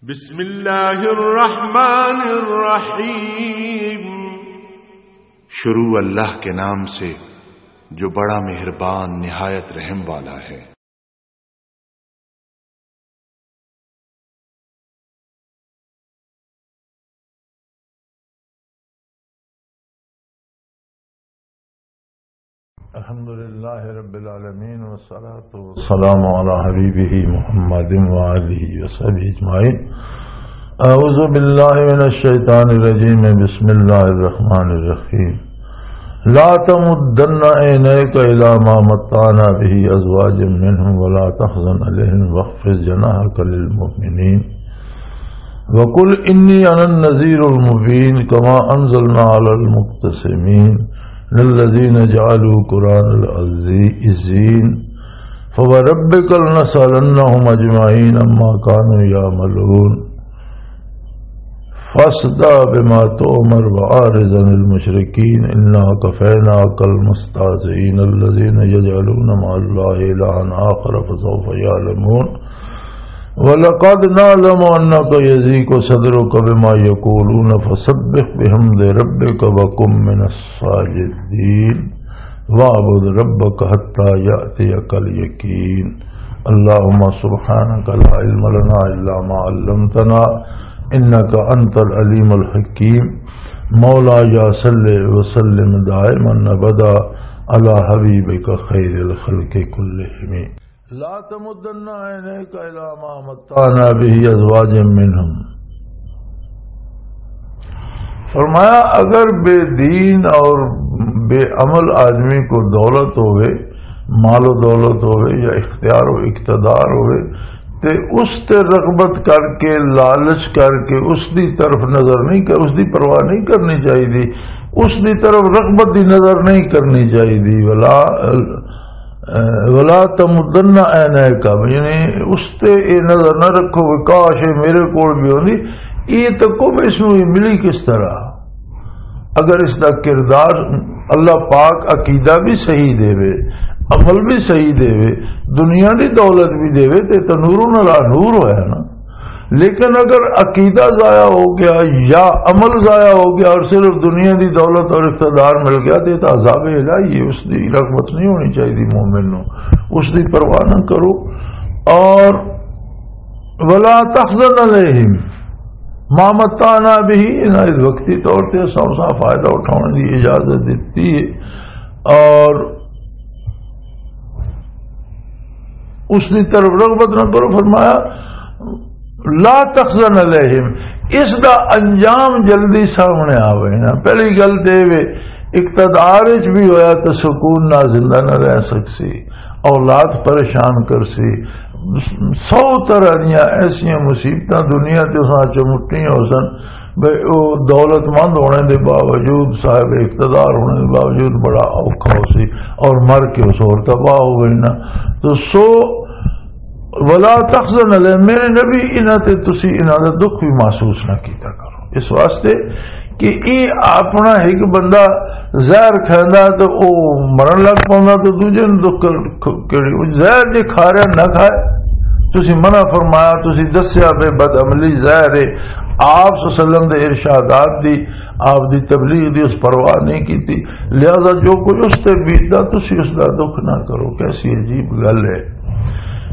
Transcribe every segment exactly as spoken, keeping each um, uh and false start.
بسم اللہ الرحمن الرحیم۔ شروع اللہ کے نام سے، جو بڑا مہربان، نہایت رحم والا ہے۔ الحمد لله رب العالمين، والصلاة والسلام على حبيبه محمد وآله وصحبه أجمعين. أعوذ بالله من الشيطان الرجيم. بسم الله الرحمن الرحيم. لا تمدن عينيك إلى ما متعنا به أزواجا منهم ولا تحزن عليهم واخفض جناحك للمؤمنين. وقل إني أنا النذير المبين كما أنزلنا على المقتسمين الذين جعلوا قرآن العزي-، الزين. فوربك لنسألنهم أجمعين عما كانوا يعملون. فاصدع بما تؤمر وأعرض عن المشركين إنا كفيناك المستهزئين الذين يجعلون مع الله إلها آخر فسوف يعلمون. ولقد نعلم أنك يضيق صدرك بما يقولون فسبح بحمد ربك وكن من الساجدين. واعبد ربك حتى يأتيك اليقين. اللهم سبحانك لا علم لنا إلا ما علمتنا إنك أنت العليم الحكيم. مولاي صل وسلم دائما أبدا على حبيبك خير الخلق كلهم. لا تمدن عينيك إلى ما متعنا به أزواجا منهم. فرمایا، اگر بے دین اور بے عمل آدمی کو دولت ہوئے، مال و دولت ہوئے یا اختیار و اقتدار ہوئے، تے اس تے رغبت کر کے، لالچ کر کے اس دی طرف نظر نہیں کر، اس دی پرواہ نہیں کرنی چاہیے، اس دی طرف رغبت دی نظر نہیں کرنی چاہیے۔ ولا ولا تمدن عینیک، یعنی اس تے اے نظر نہ رکھو کہ کاش اے میرے کول بھی ہوندی۔ یہ تکو بھی اس نوں ملی کس طرح؟ اگر اس دا کردار، اللہ پاک عقیدہ بھی صحیح دے وے، عمل بھی صحیح دے وے، دنیا دی دولت بھی دے وے، تے تو نور علی نور ہویا نا۔ لیکن اگر عقیدہ ضائع ہو گیا یا عمل ضائع ہو گیا اور صرف دنیا دی دولت اور اقتدار مل گیا، تو یہ تو عذاب الہی ہے، اس دی رغبت نہیں ہونی چاہیے مومن نو، اس دی پرواہ نہ کرو۔ اور ولا تحزن علیہم ما متعنا به، انہاں اس وقتی طور تے اساں اس دا فائدہ اٹھاؤن دی اجازت دتی ہے۔ اور اس دی طرف رغبت نہ کرو۔ فرمایا، لا تخزن علیہم، اس دا انجام جلدی سامنے آوے نا۔ پہلی گل تے وے، اقتدار وچ بھی ہویا تو سکون نال زندہ نہ رہ سکسی، اولاد پریشان کرسی، سو طرح دیاں ایسیاں مصیبتاں دنیا تے اساں چمٹیاں ہو سن۔ بھئی، او دولت مند ہونے دے باوجود، صاحب اقتدار ہونے دے باوجود بڑا اوکھا ہو سی، اور مر کے اس اور تباہ ہو گئی نا۔ تو سو، ولا تخزن علیہ، میرے نبی، انہاں تے تسی انہاں دا دکھ بھی محسوس نہ کیتا کرو۔ اس واسطے کہ اے اپنا ایک بندہ زہر کھاندا تے او مرن لگ پوندا تے دوجے نوں دکھ کیڑی؟ او زہر جے کھا رہا نہ کھائے۔ تسی منع فرمایا، تسی دسیا بے بد عملی زہر ہے۔ آپ صلی اللہ علیہ وسلم دے ارشادات دی، آپ دی تبلیغ دی اس پرواہ نہیں کیتی، لہذا جو کچھ اس تے بیتدا تسی اس دا دکھ نہ کرو۔ کیسی عجیب گل ہے۔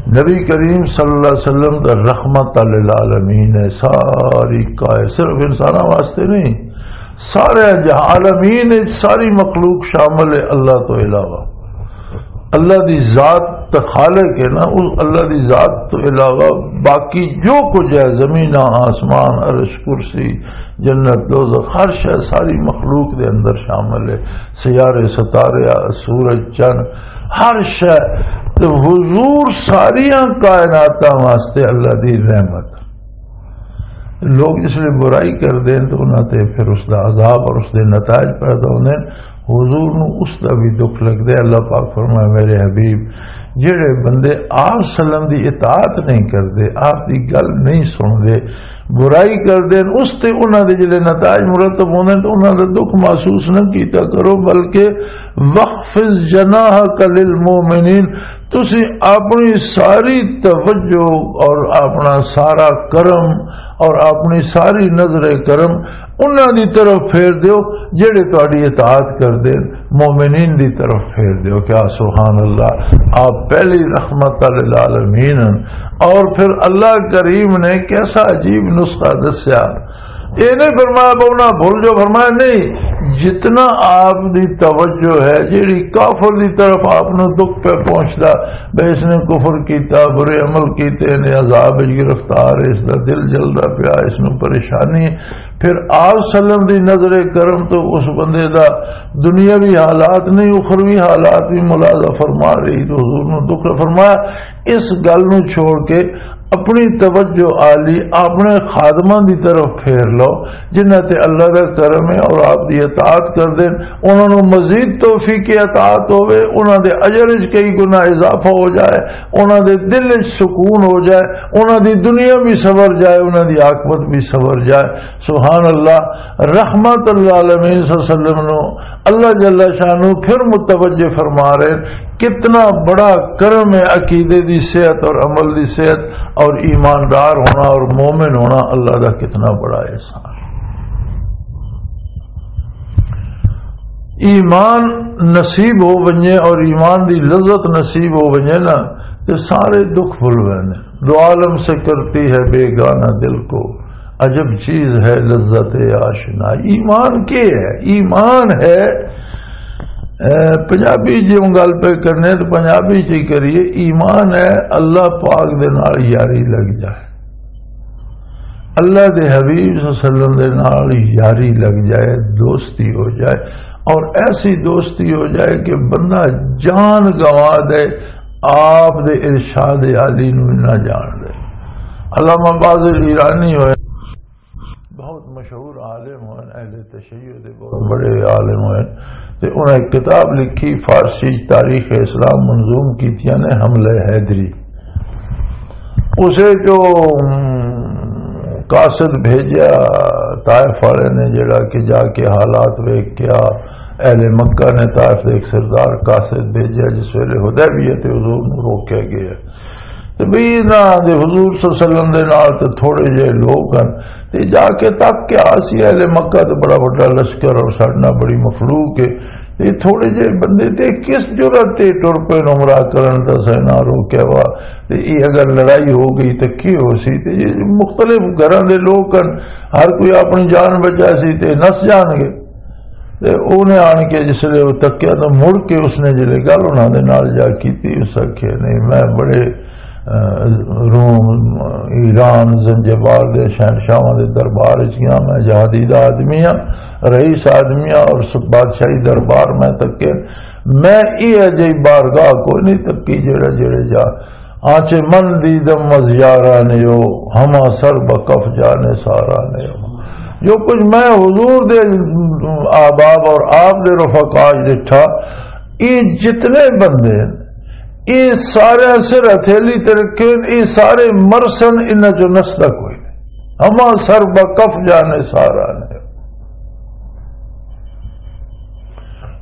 نبی کریم صلی اللہ علیہ وسلم دا رحمت للعالمین ہے، ساری کائے، صرف انساناں واسطے نہیں، سارے جہاں عالمین وچ ساری مخلوق شامل ہے اللہ تو علاوہ۔ اللہ دی ذات تے خالق ہے نا، اس اللہ دی ذات تو علاوہ باقی جو کچھ ہے، زمین، آسمان، عرش، کرسی، جنت، دوزخ، ہر شے ساری مخلوق دے اندر شامل ہے۔ سیارے، ستارے، سورج، چن، ہر شے۔ تے حضور ساریاں کائناتاں واسطے اللہ دی رحمت۔ لوگ جس لئے برائی کردے ہیں تو انہاں تے پھر اس دا عذاب اور اس دے نتائج پیدا ہوندے ہیں۔ حضور نو اس دا بھی دکھ لگدا ہے۔ اللہ پاک فرمائے، میرے حبیب، جڑے بندے آپ سلم دی اطاعت نہیں کردے، آپ دی گل نہیں سندے، برائی کردے ہیں، اس تے انہاں دے جڑے نتائج مرتب ہوندے ہیں تو انہاں دا دکھ محسوس نہ کیتا کرو، بلکہ وَاخْفِضْ جَنَاحَكَ لِلْمُؤْمِنِينَ، تسی اپنی ساری توجہ اور اپنا سارا کرم اور اپنی ساری نظر کرم انہاں دی طرف پھیر دیو، جڑے تہاڈی اطاعت کردے، مومنین دی طرف پھیر دیو۔ کیا سبحان اللہ، آپ پہلی رحمت للعالمین ہن۔ اور پھر اللہ کریم نے کیسا عجیب نسخہ دسیا۔ یہ نہیں فرمایا بہنا بھول جو، فرمایا نہیں، جتنا آپ دی توجہ ہے، جیڑی کافر دی طرف آپ نو دکھ پہ پہنچدا، بے اس نے کفر کیتا، برے عمل کیتے نے، عذاب وچ گرفتار ہے، اس دا دل جلدا پیا، اس نو پریشانی ہے۔ پھر آپ سلم دی نظر کرم تو اس بندے دا دنیاوی حالات نہیں، اخروی حالات بھی ملاحظہ فرما رہی، تو حضور نو دکھ فرمایا۔ اس گل نو چھوڑ کے اپنی توجہ آلی اپنے خادماں دی طرف پھیر لو، جنہاں تے اللہ دا کرم ہے اور آپ دی اطاعت کر دین، انہاں نو مزید توفیق اطاعت ہوے، انہاں دے اجر وچ کئی گنا اضافہ ہو جائے، انہاں دے دل وچ سکون ہو جائے، انہاں دی دنیا بھی سنور جائے، انہاں دی عاقبت بھی سنور جائے۔ سبحان اللہ، رحمت للعالمین صلی اللہ علیہ وسلم نو اللہ جل شانہ پھر متوجہ فرما رہے، کتنا بڑا کرم ہے عقیدے دی صحت اور عمل دی صحت اور ایماندار ہونا اور مومن ہونا، اللہ دا کتنا بڑا احسان۔ ایمان نصیب ہو ونجے اور ایمان دی لذت نصیب ہو ونجے نا، تے سارے دکھ بھول ویندے۔ دو عالم سے کرتی ہے بیگانہ دل کو، عجب چیز ہے لذت آشنا۔ ایمان کے ہے؟ ایمان ہے، اے، پنجابی جی ہوں گل پہ کرنے تو پنجابی چ ہی کریے، ایمان ہے اللہ پاک دے نال یاری لگ جائے، اللہ دے حبیب صلی اللہ علیہ وسلم دے نال یاری لگ جائے، دوستی ہو جائے، اور ایسی دوستی ہو جائے کہ بندہ جان گنوا دے، آپ دے ارشاد عالی نو نہ جان دے۔ علامہ باز ایرانی ہوئے، بہت مشہور عالم ہوئے، اہل تشیع دے بہت بڑے عالم ہوئے، تے انہاں ایک کتاب لکھی، فارسی تاریخ اسلام منظوم کیتیاں نے، حملہ حیدری۔ اسے جو، ام، قاصد بھیجا طائف والے نے، جڑا کہ جا کے حالات ویکھ کے آ، اہل مکہ نے طائف دے ایک سردار قاصد بھیجا، جس ویلے حدیبیہ تے حضور نوں روکیا گیا۔ تے بھئی انہاں دے حضور صلی اللہ علیہ وسلم دے نال تے تھوڑے جہے لوگ ہن، تے جا کے تک کے آ سی اہل مکہ تے بڑا وڈا لشکر اور ساڈے نال بڑی مخلوق ہے، تے تھوڑے جہے بندے تے کس جرأت تے ٹر پے عمرہ کرن دا سینا روکیا وا، تے یہ اگر لڑائی ہو گئی تے کی ہو سی؟ تے یہ مختلف گھراں دے لوگ ہن، ہر کوئی اپنی جان بچا سی تے نس جان گے۔ تے اونے آن کے جس لے وہ تکیا تو مڑ کے اس نے جلے گل انہاں دے نال جا کیتی، اس آکھیا، "نہیں، میں بڑے، اہ، روم، ایران، زنجبار دے شہنشاہاں دے دربار وچ گیا، میں جہادی دا آدمی ہاں، رئیس آدمی ہاں، اور س-، بادشاہی دربار میں تکے، میں یہ جہی بارگاہ کوئی نہیں تکی جڑا جڑے جا آنچے من دیدم از یاران یو، ہما سر بکف جان ساران یو۔" جو کچھ میں حضور دے احباب اور آپ دے رفقا وچ ڈٹھا، یہ جتنے بندے ہیں، یہ سارے سر ہتھیلی تے رکھے ہیں، یہ سارے مرسن، انہاں چوں نسدا کوئی نہیں۔ ہما سر بکف جان ساران یو۔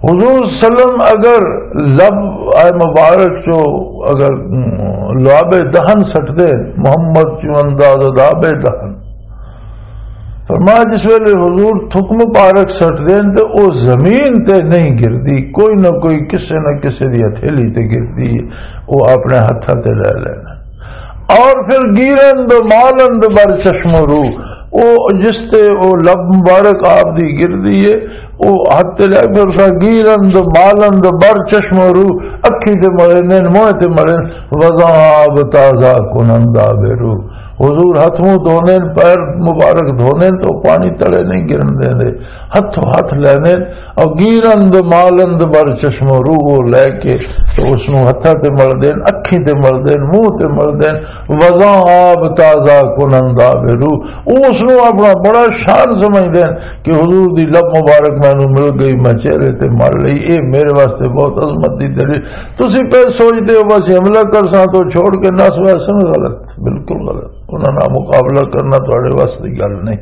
حضور صلی اللہ علیہ وسلم اگر لب آئے مبارک چو اگر، ام، لعاب دہن سٹ دے، محمد چو انداز لعاب دہن، فرمایا جس ویلے حضور تھک مبارک سٹ دین تے او زمین تے نہیں گردی، کوئی نہ کوئی کسے نہ کسے دی ہتھیلی تے گردی ہے، او اپنے ہتھاں تے لے لینا۔ اور پھر گیرند مالند بر چشم و رو، او جس تے او لب مبارک آپ دی گردی ہے، او ہتھ تے لے، پھر اسا گیرند مالند بر چشم و رو، اکھی تے ملے نین، موہ تے ملے، وزاں آب تازہ کنند آب روح۔ حضور ہتھ منہ دھوندے نے، پیر مبارک دھوندے نے، تو پانی تلے نہیں گرن دیندے، ہتھوں ہتھ لیندے نے، اور گیرند مالند بر چشم و رو، وہ لے کے تو اس نوں ہتھاں تے ملدے نے، اکھیں تے ملدے نے، منہ تے ملدے نے، وزاں آب تازہ کنند آب روح۔ وہ اس نوں اپنا بڑا شان سمجھدے نے کہ حضور دی لب مبارک مینوں مل گئی، میں چہرے تے مل لئی، اے میرے واسطے بہت عظمت دی دلیل۔ تسی پہ سوچدے ہو بس حملہ کرساں تو چھوڑ کے نس ویسن، غلط، بالکل غلط۔ انہاں نال مقابلہ کرنا تہاڈے وس دی گل نہیں۔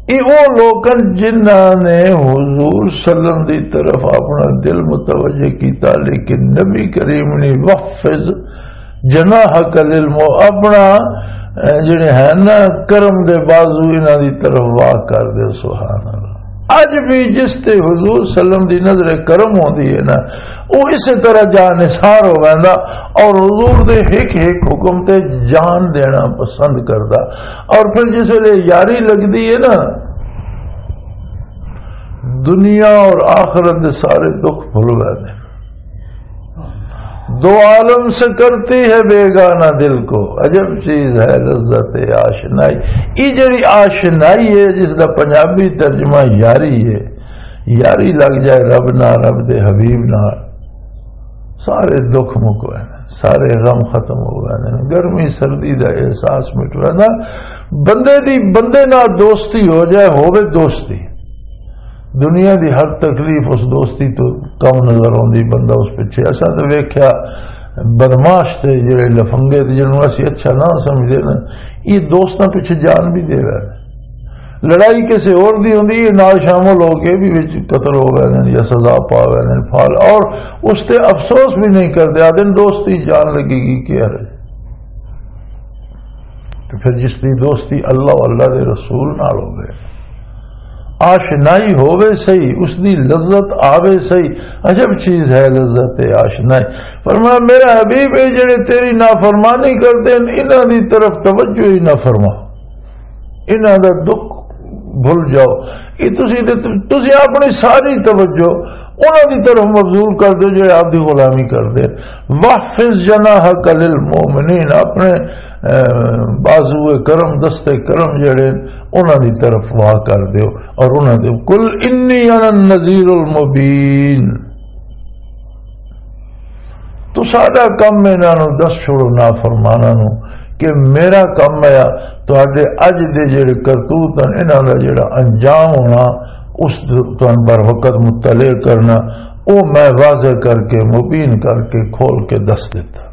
یہ وہ لوگ ہیں جنہاں نے حضور صلی اللہ علیہ وسلم دی طرف اپنا دل متوجہ کیتا، لیکن نبی کریم نے وخفض جناحک للمؤمن، اپنا، اے، جڑے ہیں نا، کرم دے بازو انہاں دی طرف واہ کر دے۔ سبحان اللہ۔ اج بھی جس تے حضور صلی اللہ علیہ وسلم دی نظر کرم ہوندی ہے نا، وہ اسی طرح جاں نثار ہو ویندا اور حضور دے ہک ہک حکم تے جان دینا پسند کردا۔ اور پھر جس ویلے یاری لگدی ہے نا، دنیا اور آخرت دے سارے دکھ بھل ویندے۔ دو عالم سے کرتی ہے بیگانہ دل کو، عجب چیز ہے لذت آشنائی۔ یہ جڑی آشنائی ہے، جس دا پنجابی ترجمہ یاری ہے، یاری لگ جائے رب نہ، رب دے حبیب نہ، سارے دکھ مک ویندے، سارے غم ختم ہو ویندے، گرمی سردی دا احساس مٹ ویندا۔ بندے دی بندے نال دوستی ہو جائے، ہووے دوستی، دنیا دی ہر تکلیف اس دوستی تو کم نظر آندی۔ بندہ اس پچھے، اساں تے ویکھیا بدمعاش تے جڑے لفنگے تے جنہوں اسی اچھا نہ سمجھدے نا، یہ دوستاں پچھے جان بھی دے رہے۔ لڑائی کسے اور دی ہوندی، یہ نال شامل ہو کے بھی وچ قتل ہو گئے نے یا سزا پا گئے نے پھال، اور اس تے افسوس بھی نہیں کردے، آدھے دوستی جان لگے گی کیا ہے؟ تو پھر جس دی دوستی اللہ و اللہ دے رسول نال ہووے، آشنائی ہووے سہی، اس دی لذت آوے سہی، عجب چیز ہے لذت آشنائی۔ فرمایا، میرا حبیب، اے جڑے تیری نافرمانی کردے نے، انہاں دی طرف توجہ ہی نہ فرما، انہاں دا دکھ بھول جاؤ۔ یہ تسی تے، تسی اپنی ساری توجہ انہاں دی طرف مبذول کر دو جڑے آپ دی غلامی کردے۔ واحفظ جناحک للمؤمنین، اپنے، اے، بازو کرم، دست کرم جڑے انہاں دی طرف واہ کر دیو اور انہاں دے، قل انی انا النذیر المبین۔ تو ساڈا کم ہے انہاں نوں دس چھوڑو، نافرماناں نوں، کہ میرا کم ہے تہاڈے اج دے جڑے کرتوت ہیں، انہاں دا جڑا انجام ہونا، اس تہن بر وقت مطلع کرنا، او میں واضح کر کے، مبین کر کے، کھول کے دس دیتا۔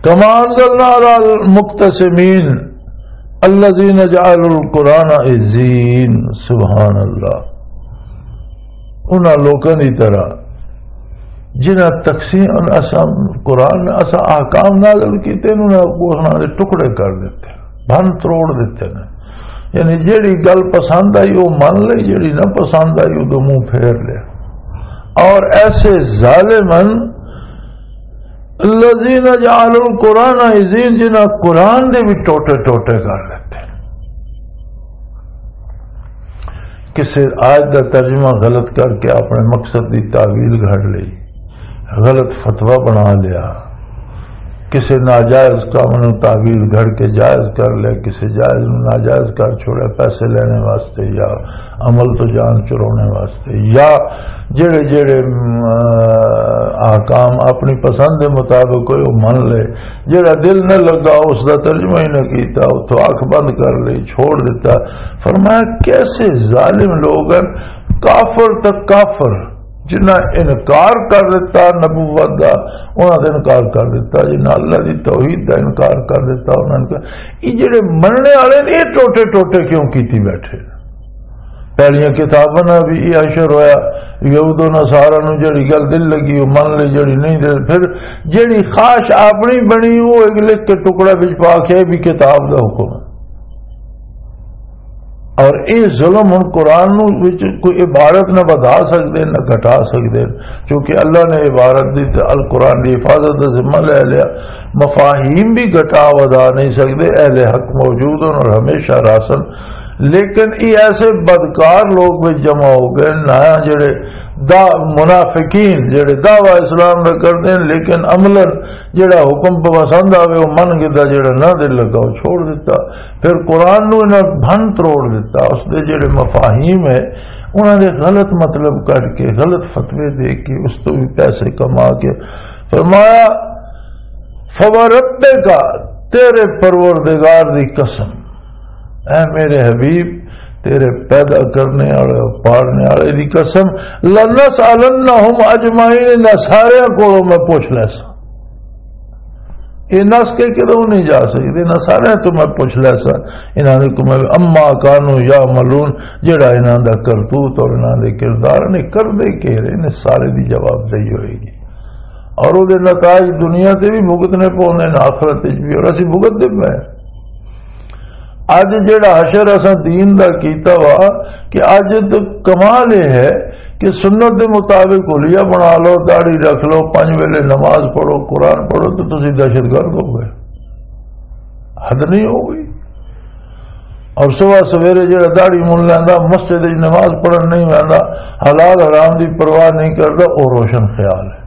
کما انزلنا علی المقتسمین الذین جعلوا القرآن عزین۔ سبحان اللہ۔ انہاں لوکاں دی طرح جنہاں تقسیم، اساں قرآن، اساں احکام نازل کیتے نے، انہاں کو انہاں دے ٹکڑے کر دیتے، بھن تروڑ دیتے نے۔ یعنی جیڑی گل پسند آئی وہ من لئی، جیڑی نہ پسند آئی وہ منہ پھیر لیا۔ اور ایسے ظالم ہیں، الذین جعلوا القرآن عزین، جنہاں قرآن دے بھی ٹوٹے ٹوٹے کر لیتے۔ کسے آیت دا ترجمہ غلط کر کے اپنے مقصد دی تعویل گھڑ لئی، غلط فتویٰ بنا لیا، کسے ناجائز کام نوں تعویل گھڑ کے جائز کر لیا، کسے جائز نوں ناجائز کر چھوڑیا پیسے لینے واسطے یا عمل تو جان چرانے واسطے، یا جڑے جڑے، م، احکام اپنی پسند دے مطابق کوئی وہ من لے، جڑا دل نہ لگا اس دا ترجمہ ہی نہ کیتا، اتھوں اکھ بند کر لئی، چھوڑ دیتا۔ فرمایا، کیسے ظالم لوگ ہیں، کافر تک کافر، جنہاں انکار کر دیتا نبوت دا، انہاں دا انکار کر دیتا، جنہاں اللہ دی توحید دا انکار کر دیتا، انہاں نے کہا، یہ جڑے مننے والے نے، یہ ٹوٹے ٹوٹے کیوں کیتی بیٹھے؟ پہلیاں کتاباں نال بھی یہ حشر ہویا، یہود و نصارا نوں جڑی گل دل لگی، وہ من لے، جڑی نہیں دل، پھر جڑی خواہش اپنی بنی، وہ ایک لکھ کے ٹکڑا وچ پا کے بھی کتاب دا حکم ہے۔ اور یہ ظلم ہن قرآن نوں وچ کوئی عبارت نہ ودھا سکدے، نہ گھٹا سکدے، کیونکہ اللہ نے عبارت دی تے القرآن دی حفاظت دا ذمہ لے لیا۔ مفاہیم بھی گھٹا ودھا نہیں سکدے، اہل حق موجود ہن اور ہمیشہ راسن۔ لیکن یہ ایسے بدکار لوگ وچ جمع ہو گئے، نہ جڑے دا منافقین جڑے دعویٰ اسلام دا کردے ہیں، لیکن عملاً جڑا حکم پہ پسند آوے، وہ من گدا، جڑا نہ دل لگا، وہ چھوڑ دیتا۔ پھر قرآن نو انہاں بھن تروڑ دیتا، اس دے جڑے مفاہیم ہے، انہاں دے غلط مطلب کڈ کے، غلط فتوے دے کے، اس تو بھی پیسے کما کے۔ فرمایا، فوربک، تیرے پروردگار دی قسم، اے میرے حبیب، تیرے پیدا کرنے والے، پالنے والے دی قسم، لنسألنہم اجمعین، انہاں سارے کولوں میں پوچھ لیساں۔ یہ نس کے کدوں نہیں جا سکتے۔ انہاں سارے تو میں پوچھ لیا سا، انہاں نے کو میں اما کانو یا ملون، جڑا انہاں دا کرتوت اور انہاں دے کردار نے کردے کے رہے نے، سارے دی جواب دہی ہوئے گی۔ اور وہ نتائج دنیا تے بھی بھگتنے پوندے نے، آخرت وچ بھی، اور اسی بھگت دے پے۔ اج جڑا حشر اساں دین دا کیتا وا، کہ اج تو کمال یہ ہے کہ سنت دے مطابق حلیہ بنا لو، داڑھی رکھ لو، پنج ویلے نماز پڑھو، قرآن پڑھو، تو تسی دہشت گرد ہو گئے، حد نہیں ہو گئی۔ اور صبح سویرے جڑا داڑھی من لیندا، مسجد وچ نماز پڑھن نہیں ویندا، حلال حرام دی پرواہ نہیں کردا، او روشن خیال ہے۔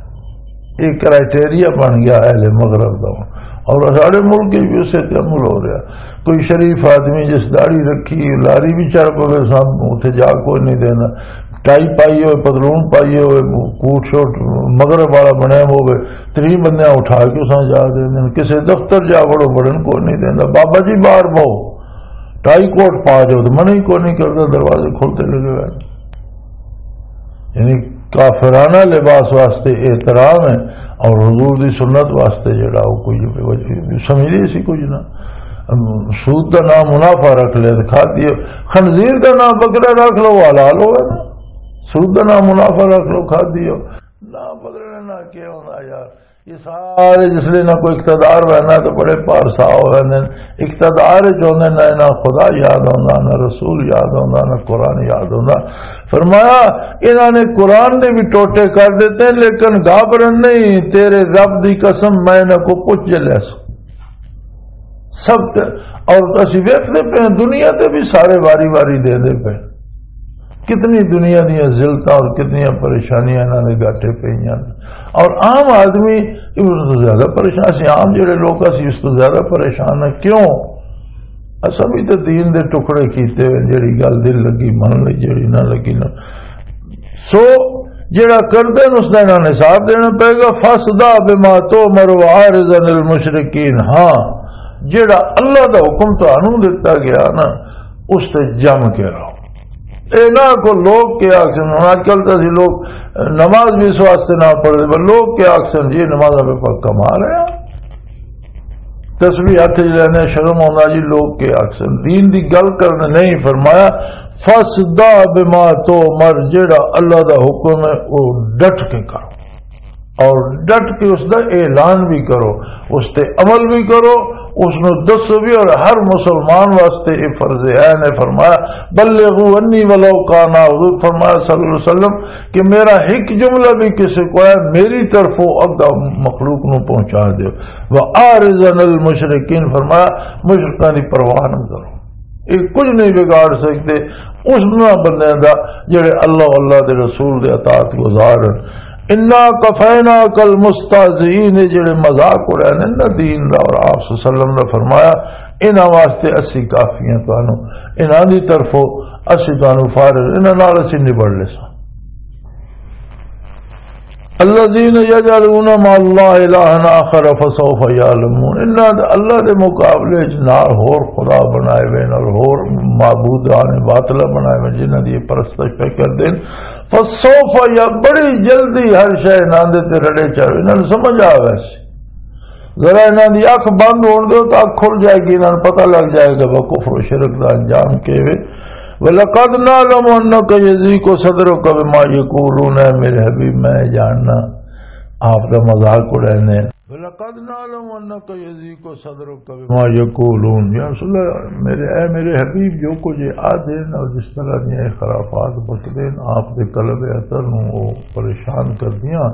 یہ کرائٹیریا بن گیا اہل مغرب دا۔ اور ساڈے ملک وچ بھی اسے تے عمل ہو رہا۔ کوئی شریف آدمی جس داڑھی رکھی، لاری بھی چڑھ پوے، سب اتنے جا کوئی نہیں دینا۔ ٹائی پائی ہوئے، پتلون پائی ہوئے، کوٹ شوٹ مغرب والا بنیا ہوئے، تری بندیاں اٹھا کے اساں جا دے دین۔ کسے دفتر جا وڑو، بڑن کوئی نہیں دینا۔ بابا جی باہر بہو، ٹائی کوٹ پا جاؤ، تو منع ہی کوئی نہیں کرتا، دروازے کھلتے لگے ہوئے۔ یعنی کافرانہ لباس واسطے احترام ہے، اور حضور دی سنت واسطے جڑا وہ کوئی وجہ سمجھ نہیں سی کچھ نہ۔ سود دا نام منافع رکھ لیا تو کھا دیو، خنزیر دا نام بکرا رکھ لو، وہ حلال ہوئے نا۔ سود دا نام منافع رکھ لو، کھا دیو۔ نہ پکڑنا نہ کیا ہونا یار۔ یہ سارے جس لے نہ کوئی اقتدار ہوئے نہ تو بڑے پارسا ہوئے نے۔ اقتدار جو نے نہ، نہ خدا یاد ہوندا، نہ رسول یاد ہوندا، نہ قرآن یاد ہوندا۔ فرمایا، انہاں نے قرآن دے بھی ٹوٹے کر دیتے ہیں، لیکن گھبرن نہیں، تیرے رب دی قسم میں انہاں کو پوچھ لیا سو۔ سب تے، اور اسی ویکھدے پے ہیں، دنیا تے بھی سارے واری واری دے دے پے۔ کتنی دنیا دیاں ذلتاں اور کتنیاں پریشانیاں انہاں دے گاٹے پئیاں۔ اور عام آدمی اس تو زیادہ پریشان، اسی عام جڑے لوگ اسی اس تو زیادہ پریشان ہیں۔ کیوں؟ اساں بھی تے دین دے ٹکڑے کیتے ہوئے، جڑی گل دل لگی من لئی، جڑی نہ لگی نہ۔ سو جڑا کردے نے اس دا انہاں نے حساب دینا پئے گا۔ فاصدع بما تؤمر وأعرض عن المشرکین۔ ہاں، جڑا اللہ دا حکم تانوں دتا گیا نا، اس تے جم کے رہو۔ اے نہ کو لوگ کے آکھن، ہن اج کل تے اسی لوگ نماز بھی اس واسطے نہ پڑھدے، پر لوگ کے آکھن جی نمازاں پہ پکا مار رہے ہیں۔ تسبیح ہاتھ وچ لینے، شرم آوندا جی، لوگ کے آکھن۔ دین دی گل کرنے نہیں، فرمایا، "فاصدع بما تؤمر"، جیڑا اللہ دا حکم ہے، او ڈٹ کے کرو، اور ڈٹ کے اس دا اعلان بھی کرو، اس تے عمل بھی کرو، اس نو دسو بھی، اور ہر مسلمان واسطے یہ فرض عین ہے۔ فرمایا، "بلغوا عنی ولو کان"، حضور فرمایا صلی اللہ علیہ وسلم، کہ میرا ایک جملہ بھی کسی کو ہے، میری طرفوں اگا مخلوق نو پہنچا دیو۔ وَأَعْرِضْ عَنِ الْمُشْرِكِينَ، فرمایا، مشرکاں دی پرواہ نہ کرو، یہ کچھ نہیں بگاڑ سکتے اس نہ بندے دا جڑے اللہ، اللہ دے رسول دے اطاعت گزار ہیں۔ اِنَّا كَفَيْنَاكَ الْمُسْتَهْزِئِينَ، یہ جڑے مذاق اڑانے نا دین دا اور آپ صلی اللہ علیہ وسلم دا، فرمایا، انہاں واسطے اسی کافی ہیں تانوں، انہاں دی طرفوں اسی تانوں فارغ، انہاں نال اسی نبڑ لیساں۔ الذين يجعلون مع الله إلها آخر فسوف يعلمون۔ انہاں دے اللہ دے مقابلے وچ نال ہور خدا بنائے ہوئے، نال ہور معبودان باطلہ بنائے ہوئے، جنہاں دی پرستش پہ کر دین۔ فسوف یا، بڑی جلدی ہر شے انہاں دے تے رڑے چڑھ، انہاں نوں سمجھ آ ویسی۔ ذرا انہاں دی اکھ بند ہون دیو تاں اکھ کھل جائے گی، انہاں نوں پتہ لگ جائے گا وہ کفر و شرک دا انجام کے وے۔ وَلَقَدْ نَعْلَمُ أَنَّكَ يَضِيقُ صَدْرُكَ بِمَا يَقُولُونَ، اے میرے حبیب، میں جاننا آپ دا مذاق اڑانے۔ وَلَقَدْ نَعْلَمُ أَنَّكَ يَضِيقُ صَدْرُكَ بِمَا يَقُولُونَ۔ یا رسول اللہ، میرے، اے میرے حبیب، جو کچھ یہ آدھے اور جس طرح یہ خرافات بکدے ہیں، آپ دے قلب اطہر نوں وہ پریشان کر دیاں۔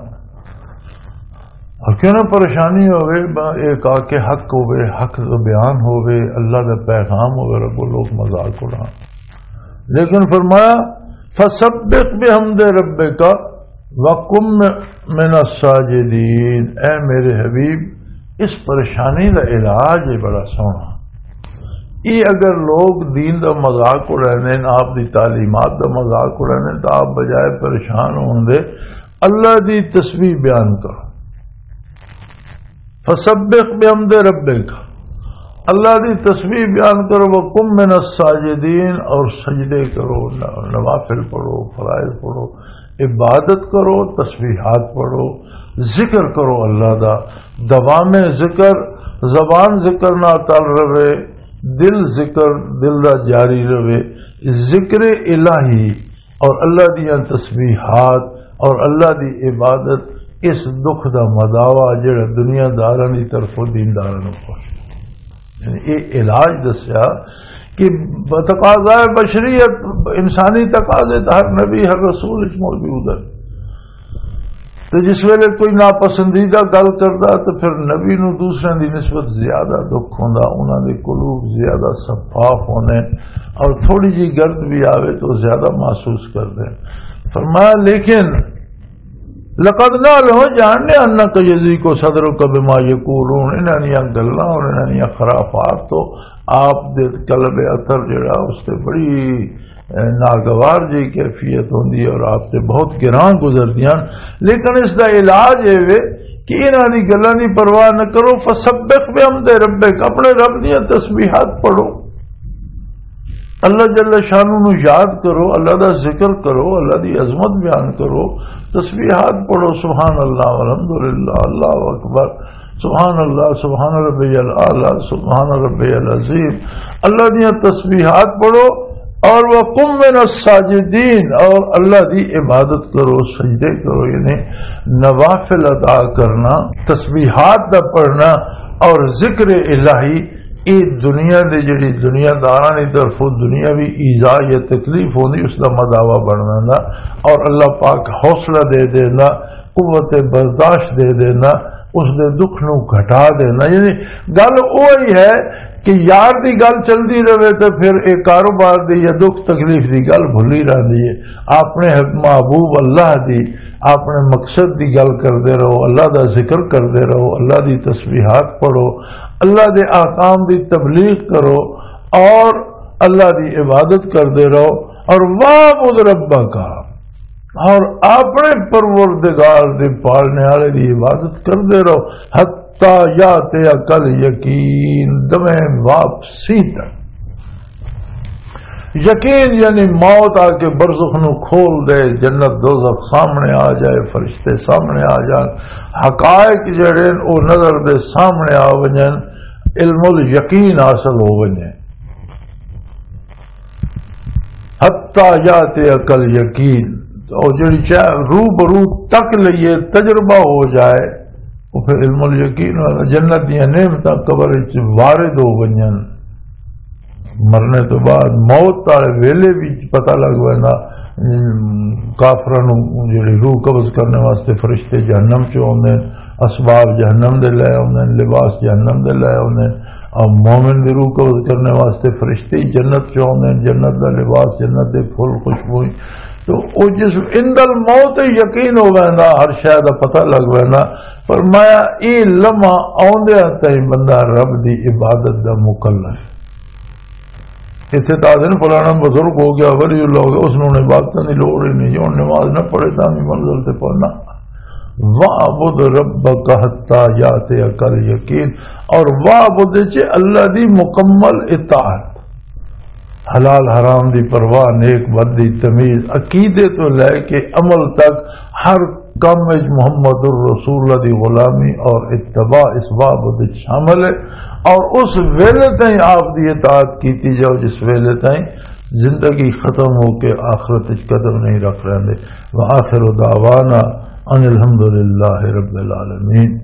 اور کیوں نہ پریشانی ہوے، با-، ایک آ کے حق ہوے، حق دا بیان ہوے، اللہ دا پیغام ہوے، رب لوگ مذاق اڑان۔ لیکن فرمایا، "فسبح بحمد ربک وکن من الساجدین"، اے میرے حبیب، اس پریشانی دا علاج ہے بڑا سوہنا۔ یہ اگر لوگ دین دا مذاق اڑاندے ہیں، آپ دی تعلیمات دا مذاق اڑاندے ہیں، تو آپ بجائے پریشان ہون دے اللہ دی تسبیح بیان کرو۔ فسبح بحمد ربک، اللہ دی تسبیح بیان کرو، وکن من الساجدین، اور سجدے کرو، ن-، نوافل پڑھو، فرائض پڑھو، عبادت کرو، تسبیحات پڑھو، ذکر کرو اللہ دا، دوام ذکر زبان ذکر نال تل رہے، دل ذکر، دل دا جاری رہے۔ ذکر الہی اور اللہ دیاں تسبیحات اور اللہ دی عبادت اس دکھ دا مداوا جڑا دنیا داراں دی طرفوں دینداراں نوں پہنچے۔ یعنی یہ علاج دسیا کہ تقاضائے بشریت، انسانی تقاضے تو ہر نبی، ہر رسول وچ موجود ہے۔ تو جس ویلے کوئی ناپسندیدہ گل کردا تو پھر نبی نو دوسرے دی نسبت زیادہ دکھ ہوندا، انہاں دے قلوب زیادہ شفاف ہونے اور تھوڑی جی گرد بھی آوے تو زیادہ محسوس کردے۔ فرمایا، لیکن لقد نعلم، جاننے، انک یضیق صدرک بما یقولون، انہاں دیاں گلاں اور انہاں دیاں خرافات تو آپ دے قلب اطہر جڑا اس تے بڑی، اے، ناگوار جی کیفیت ہوندی ہے اور آپ تے بہت گراں گزردیاں۔ لیکن اس دا علاج اے وے کہ انہاں دی گلاں دی پرواہ نہ کرو، فسبح بحمد ربک، اپنے رب دیاں تسبیحات پڑھو۔ اللہ جل شانہ نو یاد کرو، اللہ دا ذکر کرو، اللہ دی عظمت بیان کرو، تسبیحات پڑھو، سبحان اللہ والحمدللہ، اللہ اکبر، سبحان اللہ، سبحان ربی الاعلی، سبحان ربی العظیم۔ اللہ دیاں تسبیحات پڑھو، اور وقم من الساجدین، اور اللہ دی عبادت کرو، سجدے کرو، یعنی نوافل ادا کرنا، تسبیحات دا پڑھنا اور ذکر الہی، اے دنیا دے جڑی دنیا داراں دی طرفوں دنیاوی ایذا یا تکلیف ہوندی، اس دا مداوا بن ویندا اور اللہ پاک حوصلہ دے دیندا، قوت برداشت دے دیندا، اس دے دکھ نو گھٹا دیندا۔ یعنی گل اوہی ہے کہ یار دی گل چلدی رہے تے پھر اے کاروبار دی یا دکھ تکلیف دی گل بھلی رہندی ہے۔ اپنے محبوب اللہ دی، اپنے مقصد دی گل کردے رہو، اللہ دا ذکر کردے رہو، اللہ دی تسبیحات پڑھو، اللہ دے احکام دی تبلیغ کرو اور اللہ دی عبادت کردے رہو۔ اور وَاعْبُدْ رَبَّكَ، اور اپنے پروردگار دے پالنے والے دی عبادت کردے رہو، حتیٰ یاتیک الیقین، دمے واپسی تک۔ یقین یعنی موت آ کے برزخ نو کھول دے، جنت دوزخ سامنے آ جائے، فرشتے سامنے آ جان، حقائق جڑے نے او نظر دے سامنے آ ونجن، علم الیقین حاصل ہو ونجے۔ حتی یاتیک الیقین، او جڑی چاہ رو برو تک لئیے، تجربہ ہو جائے، او پھر علم الیقین والا، جنت دیاں نعمتاں قبر وچ وارد ہو ونجن۔ مرنے تو بعد موت والے ویلے بھی پتہ لگ ویندا، ام، کافراں نوں جڑی روح قبض کرنے واسطے فرشتے جہنم چوں آوندے نے، اسباب جہنم دے لے آوندے نے، لباس جہنم دے لے آوندے نے، اور مومن دی روح قبض کرنے واسطے فرشتے ہی جنت چوں آوندے نے، جنت دا لباس، جنت دے پھول، خوشبو۔ تو او جس عند الموت یقین ہو ویندا، ہر شے دا پتہ لگ ویندا۔ فرمایا، اے لمحہ آوندیاں تائیں بندہ رب دی عبادت دا مکلف۔ اتھے تا دن فلانا بزرگ ہو گیا، ولی اللہ ہو گیا، اس نوں عبادتاں دی لوڑ ہی نہیں، ہن نماز نہ پڑھے تاں بھی منزل تے پہنچنا۔ وَاعْبُدْ رَبَّكَ حَتَّى يَأْتِيَكَ الْيَقِينُ، اور وَاعْبُدْ چ اللہ دی مکمل اطاعت، حلال حرام دی پرواہ، نیک بد دی تمیز، عقیدے تو لے کے عمل تک ہر کم وچ محمد الرسول اللہ دی غلامی اور اتباع اس وَاعْبُدْ وچ شامل ہے۔ اور اس ویلے تائیں آپ دی اطاعت کیتی جاؤ جس ویلے تائیں زندگی ختم ہو کے آخرت وچ قدم نہیں رکھ رہندے۔ وآخر دعوانا ان الحمد للہ رب العالمین۔